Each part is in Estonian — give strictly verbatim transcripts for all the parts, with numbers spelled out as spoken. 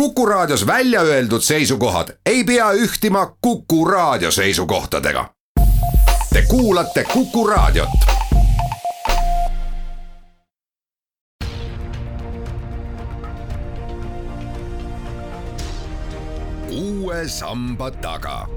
Kuku Raadios välja öeldud seisukohad ei pea ühtima Kuku Raadio seisukohtadega. Te kuulate Kuku Raadiot. Uue samba taga.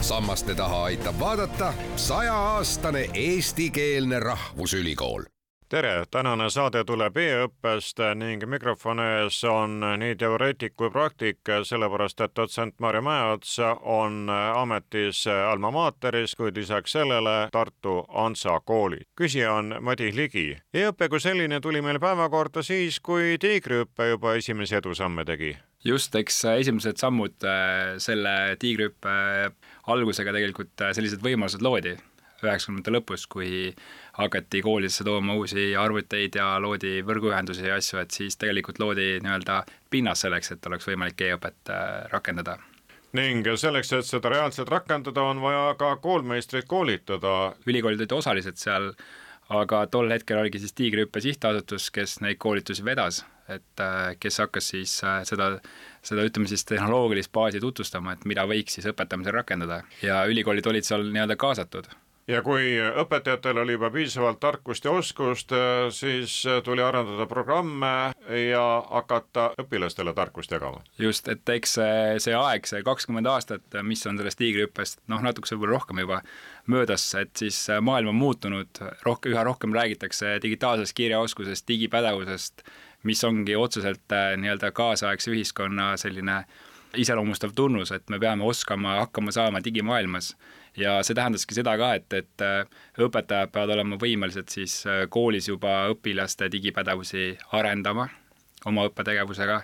Sammaste taha aitab vaadata sajaaastane eestikeelne rahvusülikool. Tere, tänane saade tuleb e-õppest ning mikrofoni ees on nii teoreetik kui praktik, sellepärast et dotsent Marju Mäeots on ametis Alma Materis, kuid lisaks sellele Tartu Ansa kooli. Küsija on Madis Ligi. E-õppe kui selline tuli meil päevakorda siis, kui tiigriõppe juba esimese edusamme tegi. Just, eks esimesed sammud selle tiigriõppe algusega tegelikult sellised võimalused loodi üheksakümnendate lõpus, kui hakati koolidesse tooma uusi arvuteid ja loodi võrguühendusi ja asju, et siis tegelikult loodi nii-öelda pinnas selleks, et oleks võimalik e-õpet rakendada. Ning selleks, et seda reaalselt rakendada, on vaja ka koolmeistrit koolitada. Ülikoolid olid osalised seal, aga tol hetkel oligi siis tiigriõppe sihtasutus, kes neid koolitusi vedas, et kes hakkas siis seda, seda ütleme siis tehnoloogilist baasi tutvustama, et mida võiks siis õpetamisel rakendada. Ja ülikoolid olid seal nii-öelda kaasatud. Ja kui õpetajatel oli juba piisavalt tarkust ja oskust, siis tuli arendada programme ja hakata õpilastele tarkust jagama. Just, et eks see, see aeg, see kakskümmend aastat, mis on sellest tiigriõppest, noh natuke võib-olla rohkem juba möödas, et siis maailm on muutunud, rohkem, üha rohkem räägitakse digitaalsest kirjaoskusest, digipädevusest, mis ongi otseselt nii-öelda kaasaegse ühiskonna selline iseloomustav tunnus, et me peame oskama hakkama saama digimaailmas. Ja see tähendaski seda ka, et, et õpetajad peavad olema võimelised siis koolis juba õpilaste digipädevusi arendama oma õppetegevusega.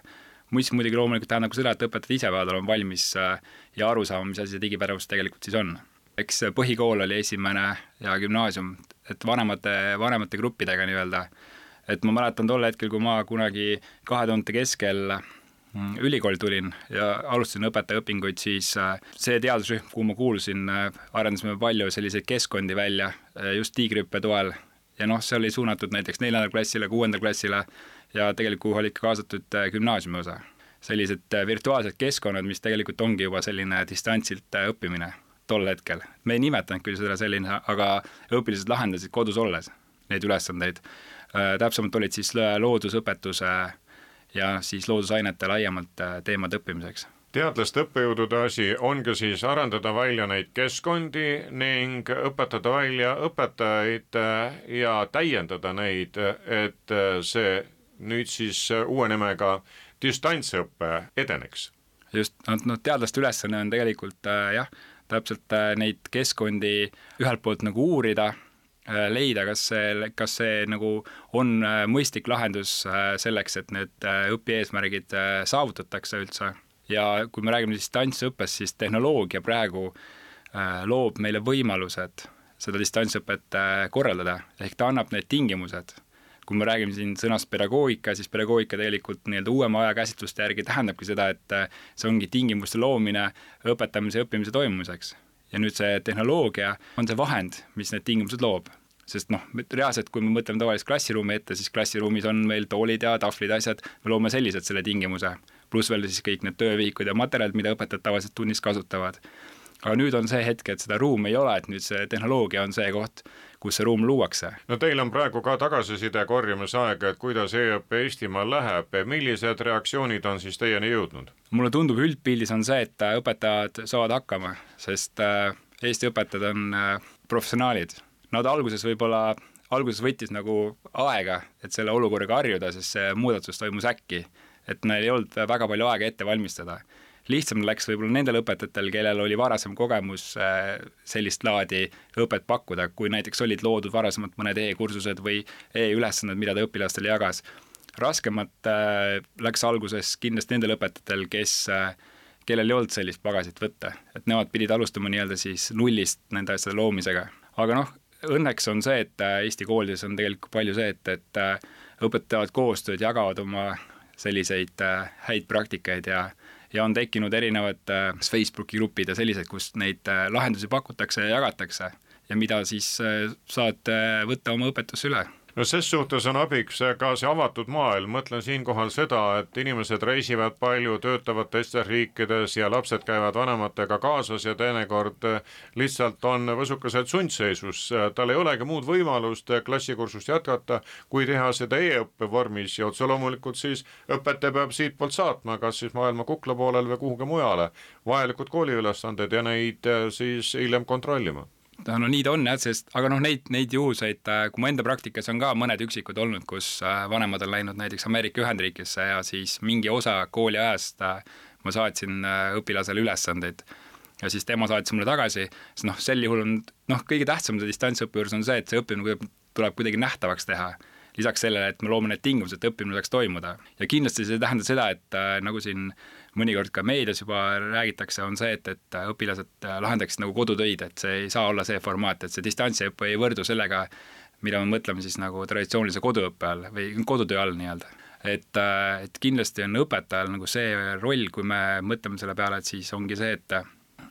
Mis muidugi loomulikult tähendab ka seda, et õpetajad ise peavad olema valmis ja aru saama, mis asi see digipädevus tegelikult siis on. Eks põhikool oli esimene ja gümnaasium, et vanemate, vanemate gruppidega nii-öelda. Et ma mäletan tol hetkel, kui ma kunagi kahe tuhande keskel ülikooli tulin ja alustasin õpetajaõpinguid, siis see teadusrühm, kuhu ma kuulusin, arendasime palju selliseid keskkondi välja just tiigriõppe toel. Ja noh, see oli suunatud näiteks neljandal klassile, kuuendal klassile ja tegelikult oli ka kaasatud gümnaasiumi osa. Sellised virtuaalsed keskkonnad, mis tegelikult ongi juba selline distantsilt õppimine tol hetkel. Me ei nimetanud küll seda selline, aga õpilased lahendasid kodus olles neid ülesandeid. Täpsemalt olid siis loodusõpetuse ja siis loodusainete laiemalt teemad õppimiseks. Teadlaste õppejõudude asi ongi siis arendada välja neid keskkondi ning õpetada välja õpetajaid ja täiendada neid, et see nüüd siis uue nimega distantsõppe edeneks. Just, no teadlaste ülesanne on tegelikult jah, täpselt neid keskkondi ühelt poolt nagu uurida, leida, kas see, kas see nagu on mõistlik lahendus selleks, et need õpieesmärgid saavutatakse üldse. Ja kui me räägime distantsõppest, siis tehnoloogia praegu loob meile võimalused seda distantsõpet korraldada, ehk ta annab need tingimused. Kui me räägime siin sõnast pedagoogika, siis pedagoogika tegelikult nii-öelda uuema aja käsitluste järgi tähendabki seda, et see ongi tingimuste loomine õpetamise ja õppimise toimumiseks. Ja nüüd see tehnoloogia on see vahend, mis need tingimused loob. Sest noh, reaalselt, kui me mõtleme tavalist klassiruumi ette, siis klassiruumis on meil toolid ja tahvlid asjad, me loome sellised selle tingimuse. Plus veel siis kõik need töövihikud ja materjalid, mida õpetajad tavaliselt tunnis kasutavad. Aga nüüd on see hetk, et seda ruumi ei ole, et nüüd see tehnoloogia on see koht, kus see ruum luuakse. No teil on praegu ka tagasiside korjamise aeg, et kuidas e-õppe Eestimaal läheb. Millised reaktsioonid on siis teieni jõudnud? Mulle tundub üldpildis on see, et õpetajad saavad hakkama, sest Eesti õpetajad on professionaalid. Nad alguses võib-olla, alguses võttis nagu aega, et selle olukorraga harjuda, sest see muudatus toimus äkki, et neil ei olnud väga palju aega ette valmistada. Lihtsam läks võib-olla nendel õpetajatel, kellel oli varasem kogemus sellist laadi õpet pakkuda, kui näiteks olid loodud varasemalt mõned e-kursused või e-ülesanded, mida ta õpilastele jagas. Raskemat läks alguses kindlasti nendel õpetajatel, kes, kellel ei olnud sellist pagasit võtta, et nemad pidid alustama nii-öelda siis nullist nende asjade loomisega. Aga noh, õnneks on see, et Eesti koolides on tegelikult palju see, et, et õpetavad koostööd, jagavad oma selliseid häid praktikaid ja ja on tekkinud erinevad Facebooki grupid ja sellised, kus neid lahendusi pakutakse ja jagatakse ja mida siis saad võtta oma õpetusse üle. no ses suhtes on abiks ka see avatud maailm, mõtlen siinkohal seda, et inimesed reisivad palju, töötavad teistes riikides ja lapsed käivad vanematega kaasas ja teinekord lihtsalt on võsukesed sundseisus, tal ei olegi muud võimalust klassikursust jätkata, kui teha seda e-õppe vormis ja otse loomulikult siis õpetaja peab siit poolt saatma, kas siis maailma kukla poolel või kuhugi mujale, vajalikud kooliülesanded ja neid siis hiljem kontrollima. No nii ta on jah, sest, aga noh, neid, neid juhuseid, kui mu enda praktikas on ka mõned üksikud olnud, kus vanemad on läinud näiteks Ameerika Ühendriikisse ja siis mingi osa kooli ajast ma saatsin õpilasele ülesandeid ja siis tema saatis mulle tagasi, sest noh, sel juhul on, noh, kõige tähtsam see distantsõppe juures on see, et see õppimine tuleb kuidagi nähtavaks teha. Lisaks sellele, et me loome need tingimused, et õppimine saaks toimuda. Ja kindlasti see tähendab seda, et nagu siin mõnikord ka meedias juba räägitakse, on see, et, et õpilased lahendaksid nagu kodutöid, et see ei saa olla see formaat, et see distantsiõppe ei võrdu sellega, mida me mõtleme siis nagu traditsioonilise koduõppe all või kodutöö all nii-öelda. Et, et kindlasti on õpetajal nagu see roll, kui me mõtleme selle peale, et siis ongi see, et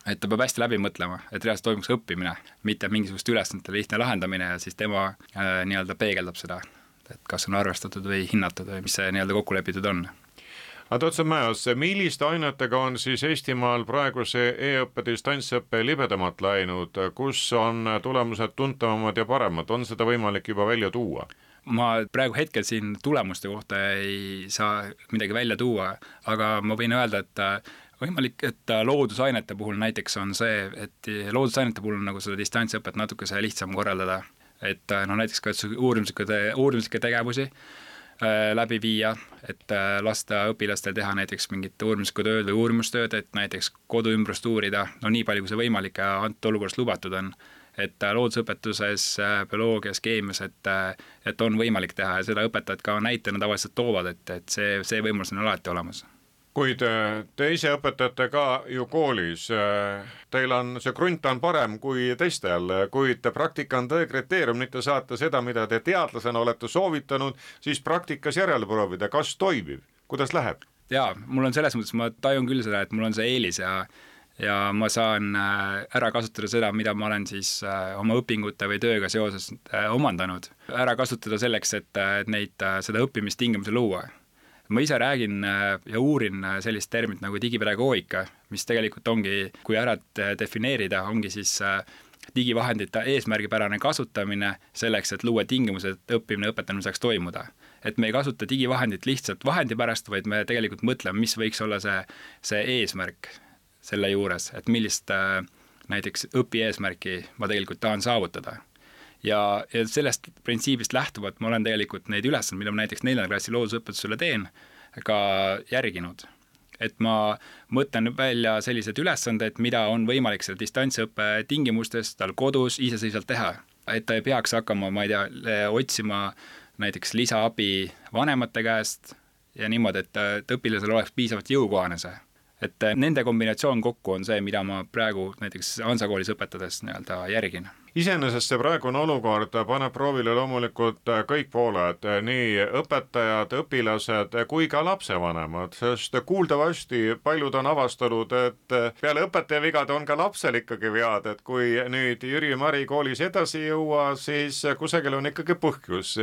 et ta peab hästi läbi mõtlema, et reaalselt toimuks õppimine, mitte mingisugust ülesannete lihtne lahendamine ja siis tema äh, nii-öelda peegeldab seda, et kas on arvestatud või hinnatud või mis see nii-öelda kokku lepitud on. Aga Tootsen Mäos, milliste ainetega on siis Eestimaal praegu see e-õppe distantsõppe libedamat läinud, kus on tulemused tuntavamad ja paremad, on seda võimalik juba välja tuua? Ma praegu hetkel siin tulemuste kohta ei saa midagi välja tuua, aga ma võin öelda, et võimalik, et loodusainete puhul näiteks on see, et loodusainete puhul on nagu seda distantsõpet natuke see lihtsam korraldada, et no näiteks ka uurimuslikke, uurimuslikke tegevusi äh, läbi viia, et äh, lasta õpilastel teha näiteks mingit uurimuslikku tööd või uurimustööd, et näiteks koduümbrust uurida, no nii palju kui see võimalik ja antud olukorras lubatud on, et äh, loodusõpetuses, äh, bioloogias, keemias, et, äh, et on võimalik teha ja seda õpetajad ka näitena tavaliselt toovad, et, et see, see võimalus on alati olemas. Kuid te ise õpetate ka ju koolis, teil on see krunt on parem kui teistel, kuid praktika on tõe kriteerium, mitte saata seda, mida te teadlasena olete soovitanud, siis praktikas järele proovida, kas toimib, kuidas läheb? Jaa, mul on selles mõttes, ma tajun küll seda, et mul on see eelis ja ja ma saan ära kasutada seda, mida ma olen siis oma õpingute või tööga seoses omandanud. Ära kasutada selleks, et neid, seda õppimistingimusi luua. Ma ise räägin ja uurin sellist termit nagu digipedagoogika, mis tegelikult ongi, kui ära defineerida, ongi siis digivahendite eesmärgipärane kasutamine selleks, et luua tingimused, et õppimine ja õpetamine saaks toimuda. Et me ei kasuta digivahendit lihtsalt vahendi pärast, vaid me tegelikult mõtleme, mis võiks olla see, see eesmärk selle juures, et millist näiteks õpi eesmärki ma tegelikult tahan saavutada. Ja, ja sellest printsiibist lähtuvalt ma olen tegelikult neid ülesand, mida ma näiteks neljanda klassi loodusõpetusele teen, ka järginud. Et ma mõtlen välja sellised ülesanded, mida on võimalik selle distantsõppe tingimustes tal kodus iseseisvalt teha. Et ta ei peaks hakkama, ma ei tea, otsima näiteks lisaabi vanemate käest ja niimoodi, et, et õpilasel oleks piisavalt jõukohane see. Et nende kombinatsioon kokku on see, mida ma praegu näiteks Hansa koolis õpetades nii-öelda järgin. Iseenesest see praegune olukord paneb proovile loomulikult kõik pooled, nii õpetajad, õpilased kui ka lapsevanemad, sest kuuldavasti paljud on avastanud, et peale õpetaja vigade on ka lapsel ikkagi vead, et kui nüüd Jüri Mari koolis edasi jõua, siis kusagil on ikkagi põhjus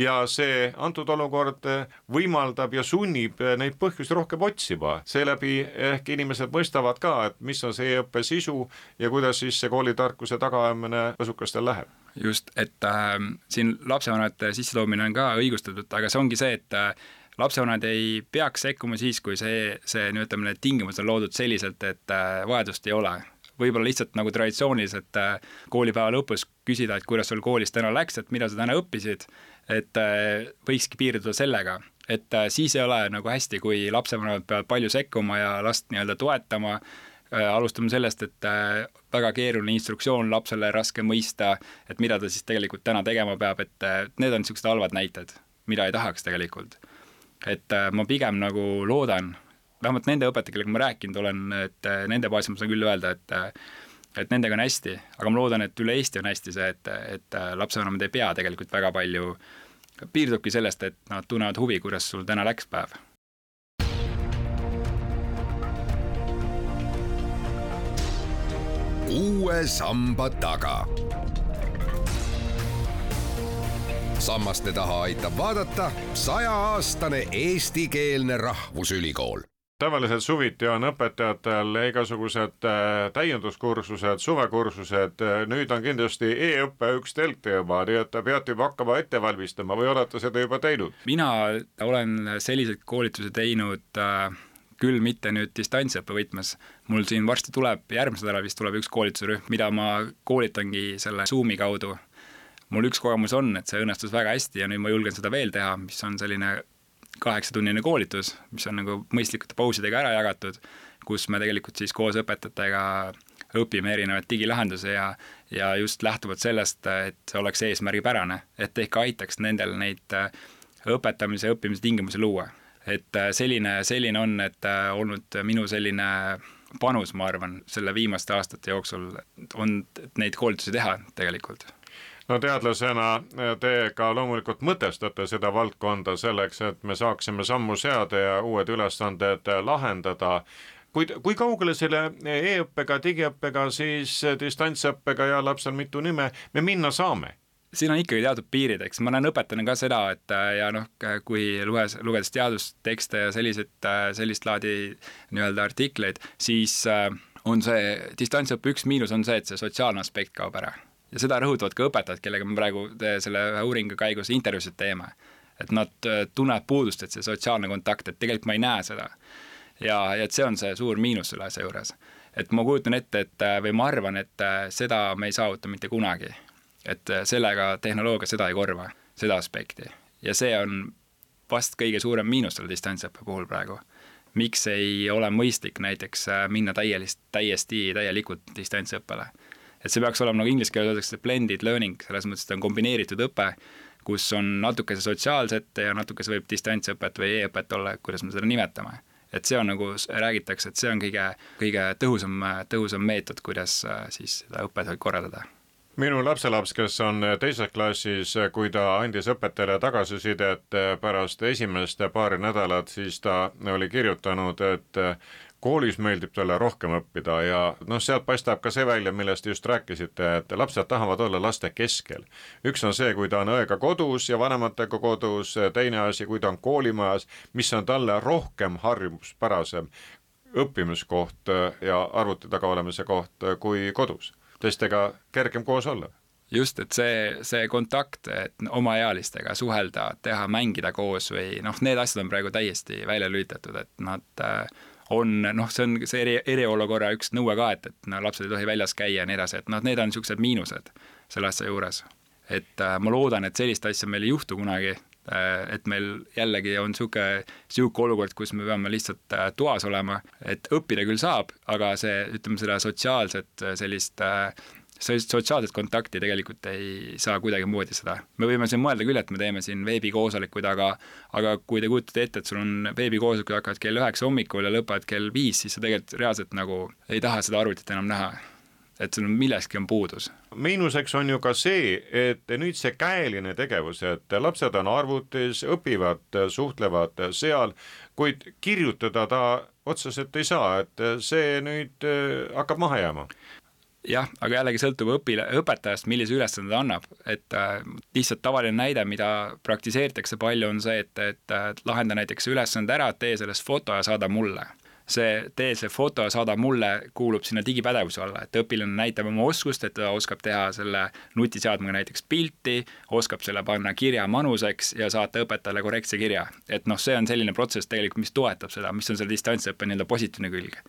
ja see antud olukord võimaldab ja sunnib neid põhjusi rohkem otsima. Seeläbi ehk inimesed mõistavad ka, et mis on see õppe sisu ja kuidas siis see koolitarkuse tagaajamine võsukastel läheb. Just, et äh, siin lapsevanemate sissetoomine on ka õigustatud, aga see ongi see, et äh, lapsevanemad ei peaks sekkuma siis, kui see, see ütleme, tingimus on loodud selliselt, et äh, vajadust ei ole. Võib-olla lihtsalt nagu traditsiooniliselt äh, koolipäeva lõpus küsida, et kuidas sul koolis täna läks, et mida sa täna õppisid, et äh, võikski piirduda sellega, et äh, siis ei ole nagu hästi, kui lapsevanemad peavad palju sekkuma ja last nii-öelda toetama. Alustame sellest, et väga keeruline instruktsioon lapsele raske mõista, et mida ta siis tegelikult täna tegema peab, et need on niisugused halvad näited, mida ei tahaks tegelikult. Et ma pigem nagu loodan, vähemalt nende õpetajad, kellega ma rääkinud olen, et nende baasil ma saan küll öelda, et, et nendega on hästi, aga ma loodan, et üle Eesti on hästi see, et, et lapsevanemad ei pea tegelikult väga palju, piirdubki sellest, et nad tunnevad huvi, kuidas sul täna läks päev. Uue samba taga. sammaste taha aitab vaadata sajaaastane eestikeelne rahvusülikool. Tavaliselt suviti on õpetajatel igasugused täienduskursused, suvekursused, nüüd on kindlasti e-õppe üks telgteema, nii et peate juba hakkama ette valmistama või olete seda juba teinud? Mina olen sellised koolituse teinud äh, küll mitte nüüd distantsõppe võtmes. Mul siin varsti tuleb, järgmisel nädalal vist tuleb üks koolitusrühm, mida ma koolitangi selle Zoomi kaudu. Mul üks kogemus on, et see õnnestus väga hästi ja nüüd ma julgen seda veel teha, mis on selline kaheksatunnine koolitus, mis on nagu mõistlikute pausidega ära jagatud, kus me tegelikult siis koos õpetajatega õpime erinevaid digilahendusi ja, ja just lähtuvalt sellest, et see oleks eesmärgipärane, et ehk aitaks nendel neid õpetamise ja õppimise tingimusi luua. Et selline, selline on, et olnud minu selline panus, ma arvan, selle viimaste aastate jooksul on neid koolitusi teha tegelikult. No teadlasena te ka loomulikult mõtestate seda valdkonda selleks, et me saaksime sammu seada ja uued ülesanded lahendada. Kui, kui kaugele selle e-õppega, digiõppega, siis distantsõppega ja lapsel mitu nime me minna saame? Siin on ikkagi teatud piirid, eks ma näen õpetajana ka seda, et ja noh, kui luges, lugedes teadustekste ja sellised, sellist laadi nii-öelda artikleid, siis on see distantsõppe üks miinus on see, et see sotsiaalne aspekt kaob ära. Ja seda rõhutavad ka õpetajad, kellega me praegu selle uuringu käigus intervjuusid teeme. Et nad tunnevad puudust, et see sotsiaalne kontakt, et tegelikult ma ei näe seda. Ja, ja et see on see suur miinus selle asja juures. Et ma kujutan ette, et, või ma arvan, et seda me ei saavuta mitte kunagi. Et sellega tehnoloogia seda ei korva, seda aspekti. Ja see on vast kõige suurem miinus selle distantsõppe puhul praegu. Miks ei ole mõistlik näiteks minna täielist, täiesti täielikult distantsõppele? Et see peaks olema nagu inglise keeles öeldakse blended learning, selles mõttes, et on kombineeritud õpe, kus on natukese sotsiaalset ja natukese võib distantsõpet või e-õpet olla, kuidas me seda nimetame. Et see on nagu, räägitakse, et see on kõige, kõige tõhusam, tõhusam meetod, kuidas siis seda õpet korraldada. Minu lapselaps, kes on teises klassis, kui ta andis õpetajale tagasisidet pärast esimest paari nädalat, siis ta oli kirjutanud, et koolis meeldib talle rohkem õppida ja noh, sealt paistab ka see välja, millest just rääkisite, et lapsed tahavad olla laste keskel. Üks on see, kui ta on õega kodus ja vanematega kodus, teine asi, kui ta on koolimajas, mis on talle rohkem harjumuspärasem õppimiskoht ja arvuti taga olemise koht kui kodus. Teistega kergem koos olla. Just, et see, see kontakt, et oma ealistega suhelda, teha, mängida koos või noh, need asjad on praegu täiesti välja lülitatud, et nad on, noh, see on see eri, eriolukorra üks nõue ka, et, et no, lapsed ei tohi väljas käia ja nii edasi, et noh, need on niisugused miinused selle asja juures. Et äh, ma loodan, et sellist asja meil ei juhtu kunagi, äh, et meil jällegi on niisugune, niisugune olukord, kus me peame lihtsalt äh, toas olema, et õppida küll saab, aga see, ütleme seda sotsiaalset sellist äh, sotsiaalset kontakti tegelikult ei saa kuidagi moodi seda. Me võime siin mõelda küll, et me teeme siin veebikoosolekuid, aga, aga kui te kujutate ette, et sul on veebikoosolekud hakkavad kell üheksa hommikul ja lõpavad kell viis, siis sa tegelikult reaalselt nagu ei taha seda arvutit enam näha. Et sul milleski on puudus. Miinuseks on ju ka see, et nüüd see käeline tegevus, et lapsed on arvutis, õpivad, suhtlevad seal, kuid kirjutada ta otseselt ei saa, et see nüüd hakkab maha jääma. Jah, aga jällegi sõltub õpile, õpetajast, millise ülesande ta annab, et äh, lihtsalt tavaline näide, mida praktiseeritakse palju, on see, et, et äh, lahenda näiteks ülesande ära, tee sellest foto ja saada mulle. See tee see foto ja saada mulle kuulub sinna digipädevuse alla, et õpilane näitab oma oskust, et ta oskab teha selle nutiseadmega näiteks pilti, oskab selle panna kirja manuseks ja saata õpetajale korrektse kirja. Et noh, see on selline protsess tegelikult, mis toetab seda, mis on selle distantsõppe nii-öelda positiivne külg.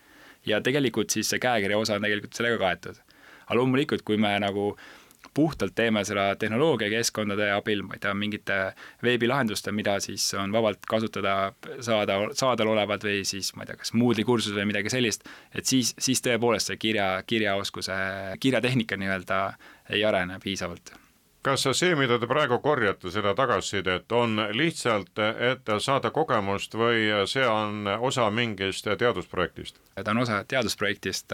Ja tegelikult siis see käekirja osa on tegelikult sellega kaetud. Aga loomulikult, kui me nagu puhtalt teeme seda tehnoloogia keskkondade abil, ma ei tea, mingite veebilahenduste, mida siis on vabalt kasutada saada, saadal olevad või siis, ma ei tea, kas Moodle'i kursus või midagi sellist, et siis, siis tõepoolest see kirja, kirjaoskuse, kirjatehnika nii-öelda ei arene piisavalt. Kas see, mida te praegu korjate, seda tagasisidet, on lihtsalt, et saada kogemust või see on osa mingist teadusprojektist? Ta on osa teadusprojektist,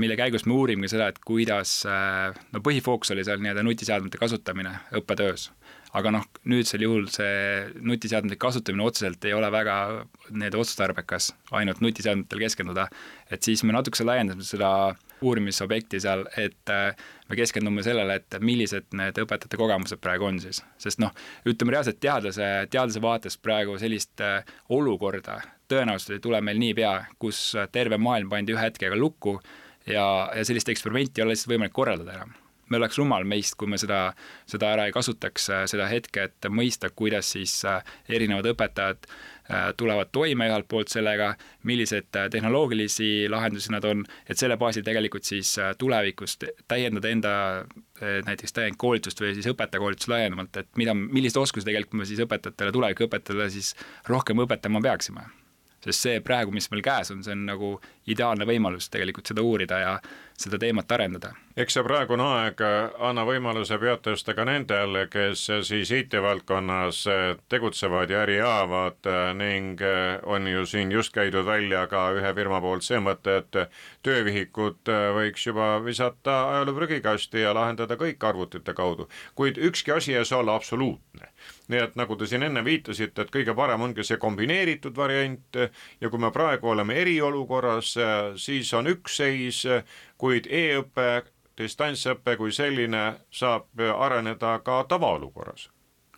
mille käigus me uurimegi seda, et kuidas, no põhifookus oli seal nii-öelda nutiseadmete kasutamine õppetöös. aga noh, nüüdsel juhul see nutiseadmete kasutamine otseselt ei ole väga need otstarbekas ainult nutiseadmetel keskenduda, et siis me natukese laiendame seda uurimisobjekti seal, et me keskendume sellele, et millised need õpetajate kogemused praegu on siis. Sest noh, ütleme reaalselt teadlase, teadlase vaatest praegu sellist olukorda tõenäoliselt ei tule meil nii pea, kus terve maailm pandi ühe hetkega lukku ja, ja sellist eksperimenti ei ole lihtsalt võimalik korraldada enam. Me oleks rumal meist, kui me seda, seda ära ei kasutaks, seda hetke, et mõista, kuidas siis erinevad õpetajad tulevad toime ühelt poolt sellega, millised tehnoloogilisi lahendusi nad on, et selle baasil tegelikult siis tulevikus täiendada enda näiteks täiend koolitust või siis õpetajakoolitust laiendamalt, et mida, millised oskusi tegelikult me siis õpetajatele, tuleviku õpetajatele siis rohkem õpetama peaksime. Sest see praegu, mis meil käes on, see on nagu ideaalne võimalus tegelikult seda uurida ja seda teemat arendada. Eks see praegune aeg anna võimaluse peatesta ka nendel, kes siis I T-valdkonnas tegutsevad ja äri ajavad ning on ju siin just käidud välja ka ühe firma poolt see mõte, et töövihikut võiks juba visata ajaloo prügikasti ja lahendada kõik arvutite kaudu, kuid ükski asi ei saa olla absoluutne. Nii et nagu te siin enne viitasite, et kõige parem ongi see kombineeritud variant ja kui me praegu oleme eriolukorras, siis on üks seis, kuid e-õppe, distantsõppe kui selline saab areneda ka tavaolukorras.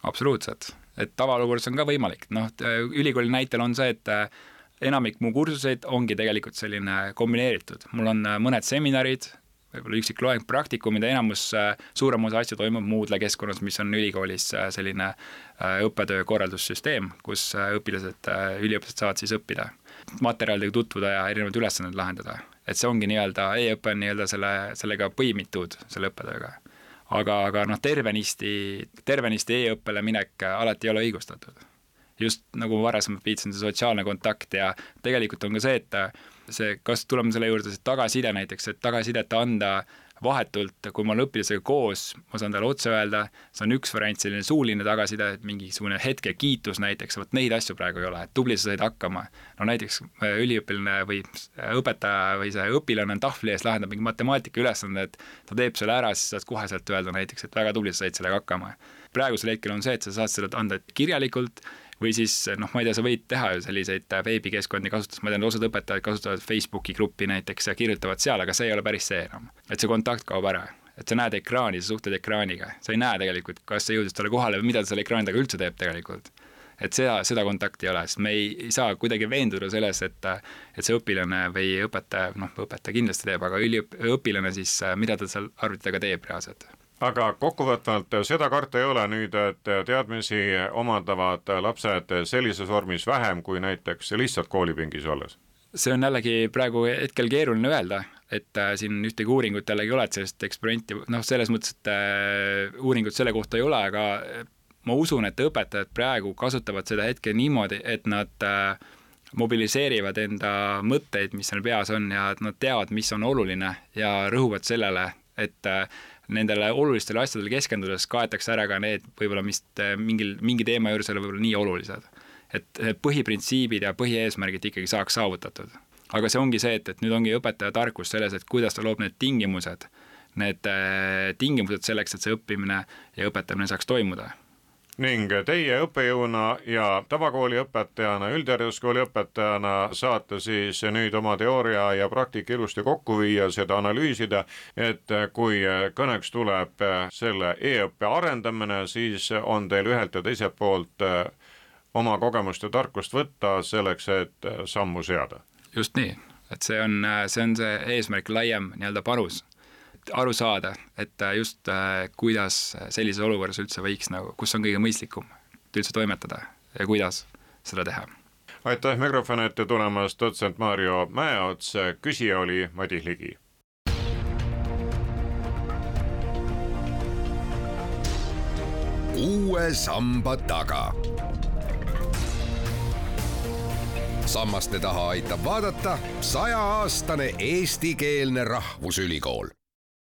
Absoluutselt, et tavaolukorras on ka võimalik. Noh, ülikooli näitel on see, et enamik mu kursuseid ongi tegelikult selline kombineeritud. Mul on mõned seminarid, võib-olla üksik loeng praktikumid ja enamus suurem osa asju toimub Moodle keskkonnas, mis on ülikoolis selline õppetöö korraldussüsteem, kus õpilased, üliõpilased saavad siis õppida, materjalidega tutvuda ja erinevad ülesanded lahendada. Et see ongi nii-öelda, e-õppe on nii-öelda selle, sellega põimitud selle õppetööga. Aga, aga noh, tervenisti, tervenisti e-õppele minek alati ei ole õigustatud. Just nagu varasemalt viitsin, see sotsiaalne kontakt ja tegelikult on ka see, et see, kas tuleme selle juurde, see tagaside näiteks, et tagasidet anda vahetult, kui ma olen õpilasega koos, ma saan talle otse öelda, see on üks variant, selline suuline tagaside, mingisugune hetke kiitus näiteks, võt neid asju praegu ei ole, et tubli sa said hakkama. No näiteks üliõpiline või õpetaja või see õpilane on tahvli ees, lahendab mingi matemaatika ülesande, et ta teeb selle ära, siis saad kohe sealt öelda näiteks, et väga tubli sa said sellega hakkama. Praegusel hetkel on see, et sa saad selle anda kirjalikult või siis, noh, ma ei tea, sa võid teha ju selliseid veebikeskkondi kasutades, ma tean, osad õpetajad kasutavad Facebooki gruppi näiteks ja kirjutavad seal, aga see ei ole päris see enam. Et see kontakt kaob ära, et sa näed ekraani, sa suhted ekraaniga, sa ei näe tegelikult, kas see jõudis talle kohale või mida ta selle ekraaniga üldse teeb tegelikult. Et seda, seda kontakti ei ole, sest me ei, ei saa kuidagi veenduda selles, et, et see õpilane või õpetaja, noh, õpetaja kindlasti teeb, aga üliõp, õpilane siis, mida ta seal arvutitega teeb reaalselt. Aga kokkuvõtvalt seda karta ei ole nüüd, et teadmisi omandavad lapsed sellises vormis vähem kui näiteks lihtsalt koolipingis olles? See on jällegi praegu hetkel keeruline öelda, et siin ühtegi uuringut jällegi ole, et sellist eksperimenti, noh, selles mõttes, et uuringut selle kohta ei ole, aga ma usun, et õpetajad praegu kasutavad seda hetke niimoodi, et nad mobiliseerivad enda mõtteid, mis neil peas on ja et nad teavad, mis on oluline ja rõhuvad sellele, et nendele olulistele asjadele keskendudes kaetakse ära ka need võib-olla, mis mingil, mingi teema juures ole võib-olla nii olulised. Et põhiprintsiibid ja põhieesmärgid ikkagi saaks saavutatud. Aga see ongi see, et, et nüüd ongi õpetaja tarkus selles, et kuidas ta loob need tingimused, need tingimused selleks, et see õppimine ja õpetamine saaks toimuda. Ning teie õppejõuna ja tavakooli õpetajana, üldhariduskooli õpetajana saate siis nüüd oma teooria ja praktika ilusti kokku viia, seda analüüsida, et kui kõneks tuleb selle e-õppe arendamine, siis on teil ühelt ja teiselt poolt oma kogemust ja tarkust võtta selleks, et sammu seada. Just nii, et see on see, on see eesmärk laiem nii-öelda panus. Aru saada, et just kuidas sellises olukorras üldse võiks, nagu, kus on kõige mõistlikum üldse toimetada ja kuidas seda teha. Aitäh mikrofoni ette tulemast, dotsent Maarjo Mäeots, küsija oli Madis Ligi. Uue samba taga. Sammaste taha aitab vaadata sajaaastane eestikeelne rahvusülikool.